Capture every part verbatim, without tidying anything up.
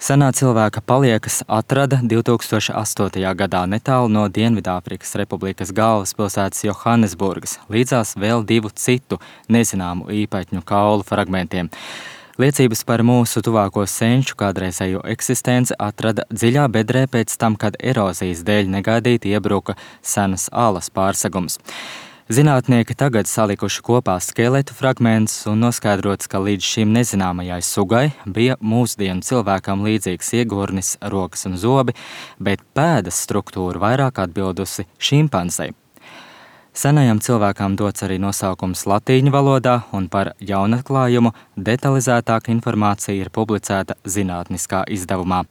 Senā cilvēka paliekas atrada divtūkstoš astotajā gadā netālu no Dienvidāfrikas Republikas galvaspilsētas Johannesburgas, līdzās vēl divu citu nezināmu īpatņu kaulu fragmentiem. Liecības par mūsu tuvāko senču kādreizējo eksistenci atrada dziļā bedrē pēc tam, kad erozijas dēļ negaidīti iebruka senas alas pārsegums. Zinātnieki tagad salikuši kopā skeletu fragmentus un noskaidrots, ka līdz šim nezināmajai sugai bija mūsdienu cilvēkam līdzīgs iegurnis, rokas un zobi, bet pēdas struktūra vairāk atbildusi šimpanzei. Senajam cilvēkam dots arī nosaukums latīņu valodā, un par jaunatklājumu detalizētāka informācija ir publicēta zinātniskā izdevumā.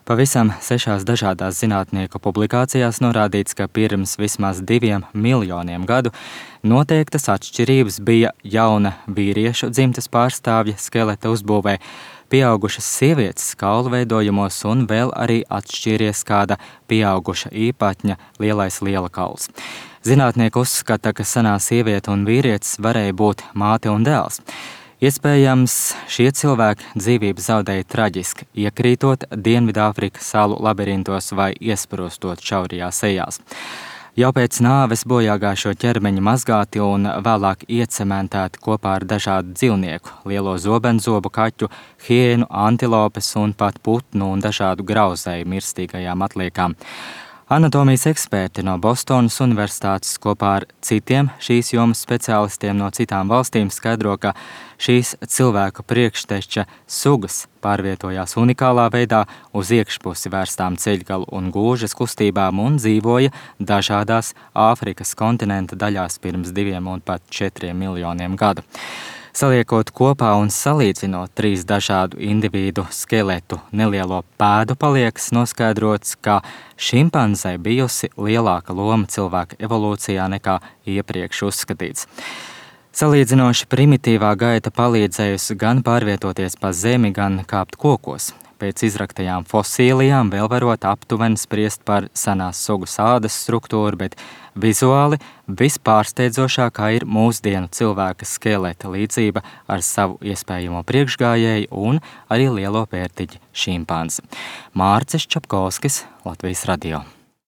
Pavisam sešās dažādās zinātnieku publikācijās norādīts, ka pirms vismaz diviem miljoniem gadu noteiktas atšķirības bija jauna vīriešu dzimtes pārstāvja skeleta uzbūvē, pieaugušas sievietes kaulu veidojumos un vēl arī atšķīries kāda pieauguša īpatņa lielais lielakauls. Zinātnieki uzskata, ka senā sieviete un vīrietis varēja būt māte un dēls. Iespējams, šie cilvēki dzīvību zaudēja traģiski, iekrītot Dienvidāfrikas salu labirintos vai iesprostot šaurajās ejās. Jau pēc nāves bojāgājušo ķermeņa mazgāti un vēlāk iecementēti kopā ar dažādu dzīvnieku, lielo zobenzobu kaķu, hiēnu, antilopes un pat putnu un dažādu grauzēju mirstīgajām atliekām. Anatomijas eksperti no Bostonas universitātes kopā ar citiem šīs jomas speciālistiem no citām valstīm skaidro, ka šīs cilvēku priekšteča sugas pārvietojās unikālā veidā uz iekšpusi vērstām ceļgalu un gūžas kustībām un dzīvoja dažādās Āfrikas kontinenta daļās pirms diviem un pat četriem miljoniem gadu. Saliekot kopā un salīdzinot trīs dažādu individu skeletu nelielo pēdu paliekas, noskaidrots, ka šimpanzei bijusi lielāka loma cilvēka evolūcijā nekā iepriekš uzskatīts. Salīdzinoši primitīvā gaita palīdzējusi gan pārvietoties pa zemi, gan kāpt kokos. Pēc izraktajām fosīlijām vēl varot aptuveni spriest par senās sugas ādas struktūru, bet vizuāli vispārsteidzošākā ir mūsdienu cilvēka skeleta līdzība ar savu iespējamo priekšgājēju un arī lielo pērtiķi šimpanzi. Mārcis Čapkovskis, Latvijas radio.